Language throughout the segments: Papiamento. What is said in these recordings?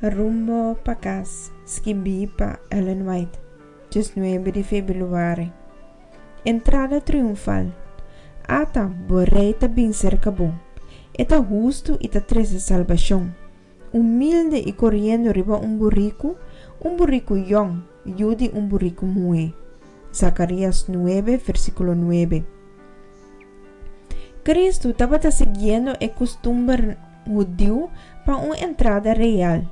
Rumbo pa Kas, skibí pa Ellen White, 19 di febrüari. Entrada triunfal. Ata, bo Rei ta bin serka bo. E ta hustu i ta trese salbashon. Humilde i koriendo riba un buriku, un buriku yòn, yu di un buriku muhé. Zakarias 9, versíkulo 9. Kristu tabata siguiendo e kustumber hudiu pa un entrada real.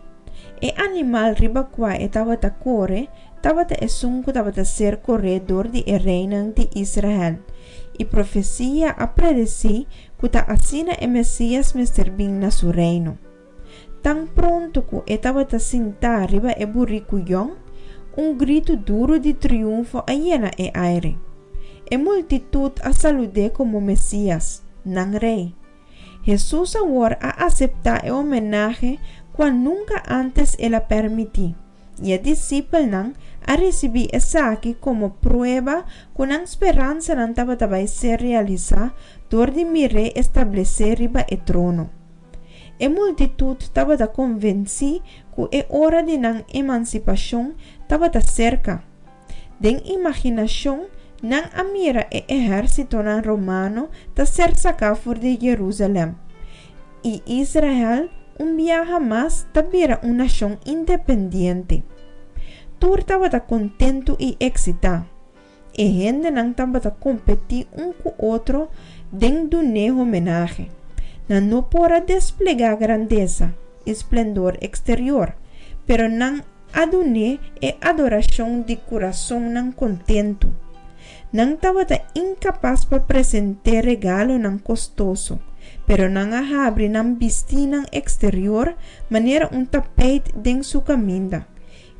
E animal riba kua e tabata kore tabata esun ku tabata ser koré dor di e reinan di Israel, i profesia a predesí ku ta asina e Mesias mester bin na su reino. Tan pronto ku e tabata sintá riba e buriku yòn, un gritu duru di triunfo a yena e aire. E multitut a salud'é komo Mesias, nan Rei. Hesus awor a aseptá e homenahe kua nunka ántes el a pèrmití, i e disipelnan a risibí esaki komo prueba ku nan speransanan tabata bai ser realisá dor di mir'é establesé riba e trono. E multitut tabata konvensí ku e ora di nan emansipashon tabata serka. Den imaginashon, nan a mira e ehérsitonan romano ta ser saká for di Jerusalèm, i Israel un biaha mas ta bira un nashon independiente. Tur tabata kontentu i eksitá. E hendenan tabata kompetí un ku otro den dun'é homenahe. Nan no por a desplegá grandesa i splendor eksterior, pero nan a dun'é e adorashon di kurasonnan kontentu. Nan tabata inkapas pa present'é regalonan kostoso, pero nan a habri nan bistínan eksterior manera un tapeit den su kaminda,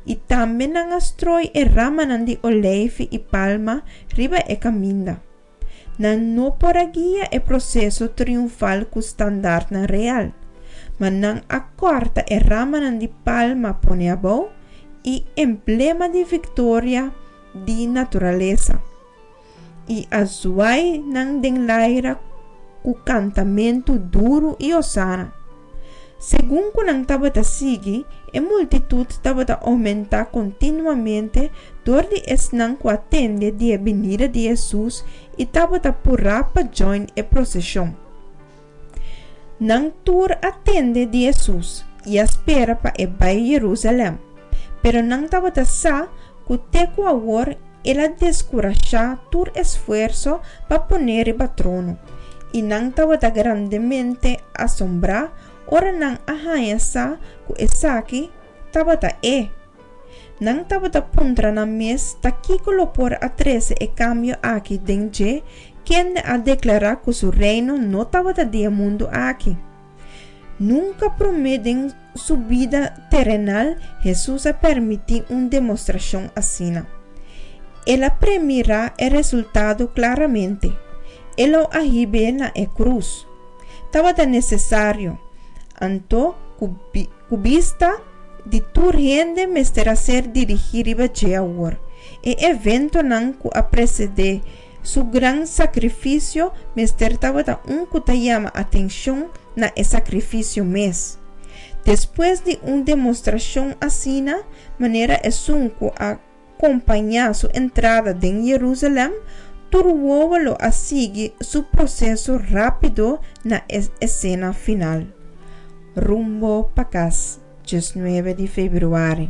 i tambe nan a stroi e ramanan di oleifi i palma riba e kaminda. Nan no por a guia e proseso triunfal ku standartnan real, ma nan a kòrta e ramanan di palma pone abou i emblema di viktoria di naturalesa, i a zuai nan den laira ku kantamentu duru i hosana. Segun ku nan tabata sigui, e multitut tabata oumentá kontinuamente dor di esnan ku a tende di e binida di Hesus i tabata purá pa djòin e proseshon. Nan tur a tende di Hesus i a spera pa e bai Jerusalèm, pero nan tabata sa ku te ku awor el a deskurashá tur esfuerso pa pon'é riba trono, i nan tabata grandemente asombrá ora nan a haña sa ku esaki tabata e. Nan tabata puntra nan mes ta kiko lo por a trese e kambio aki den dje kende a deklará ku su reino no tabata di e mundu aki. Nunka promé den su bida terenal Hesus a permití un demostrashon asina. El a premirá e resultado klaramente, E lo a hib'é na e krus. Tabata nesesario, anto, ku ku bista di tur hende mester a ser dirigí riba dje awor. E eventonan ku a presedé su gran sakrifisio mester tabata un ku ta yama atenshon na e sakrifisio mes. Despues di un demostrashon asina, manera esun ku a kompañá su entrada den Jerusalèm, tur wowo lo a sigui su proseso rápido na e esena final. Rumbo pa kas, 19 di febrüari.